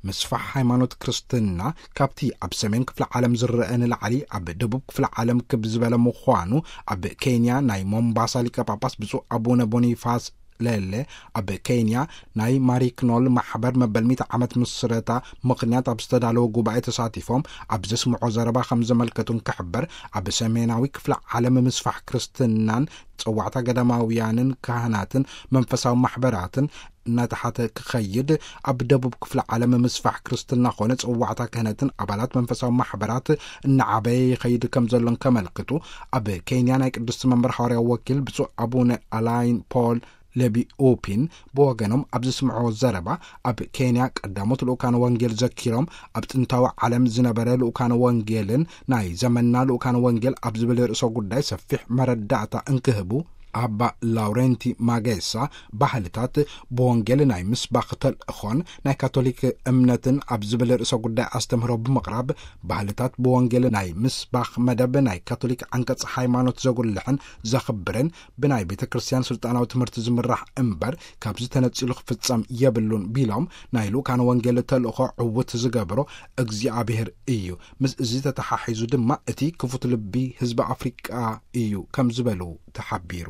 ምስፋሕ ሃይማኖት ክርስትና ካብቲ ኣብ ሰሜን ክፍለ ዓለም ዝረአ ንላዕሊ ኣብ ደቡብ ክፍለ ዓለም ክብ ዝበለ ምዃኑ ኣብ ኬንያ ናይ ሞምባሳ ሊቀ ጳጳስ ብፁዕ ኣቡነ ቦኒፋስ ሌሌ ኣብ ኬንያ ናይ ማሪክኖል ማሕበር መበል ሚእቲ ዓመት ምስረታ ምኽንያት ኣብ ዝተዳለወ ጉባኤ ተሳቲፎም ኣብ ዘስምዖ ዘረባ ከም ዘመልከቱን ክሕበር፣ ኣብ ሰሜናዊ ክፍለ ዓለም ምስፋሕ ክርስትናን ጸዋዕታ ገዳማውያንን ካህናትን መንፈሳዊ ማሕበራትን እናተሓተ ክኸይድ፣ ኣብ ደቡብ ክፍለ ዓለም ምስፋሕ ክርስትና ኾነ ጸዋዕታ ክህነትን ኣባላት መንፈሳዊ ማሕበራት እናዓበየ ይኸይድ ከም ዘሎን ከመልክቱ፣ ኣብ ኬንያ ናይ ቅድስቲ መንበር ሓዋርያ ወኪል ብፁዕ ኣቡነ ኣላይን ፖል ለቢ ኡፒን ብወገኖም ኣብ ዘስምዕዎ ዘረባ፣ ኣብ ኬንያ ቀዳሞት ልኡካነ ወንጌል ዘኪሮም፣ ኣብ ጥንታዊ ዓለም ዝነበረ ልኡካነ ወንጌልን ናይ ዘመንና ልኡካነ ወንጌል ኣብ ዝብል ርእሰ ጉዳይ ሰፊሕ መረዳእታ እንክህቡ፣ ኣባ ላውረንቲ ማጌሳ፣ ባህልታት ብወንጌል ናይ ምስባኽ ተልእኾን ናይ ካቶሊክ እምነትን ኣብ ዝብል ርእሰ ጉዳይ ኣስተምህሮ ብምቕራብ፣ ባህልታት ብወንጌል ናይ ምስባኽ መደብ ናይ ካቶሊክ ዓንቀጽ ሃይማኖት ዘጉልሕን ዘኽብርን፣ ብናይ ቤተ ክርስቲያን ስልጣናዊ ትምህርቲ ዝምራሕ እምበር፣ ካብዚ ተነጺሉ ክፍጸም የብሉን ቢሎም፣ ናይ ልኡካነ ወንጌል ተልእኾ ዕውት ዝገብሮ እግዚኣብሔር እዩ። ምስ እዚ ተተሓሒዙ ድማ እቲ ክፉት ልቢ ህዝቢ ኣፍሪቃ እዩ ከም ዝበሉ ተሓቢሩ።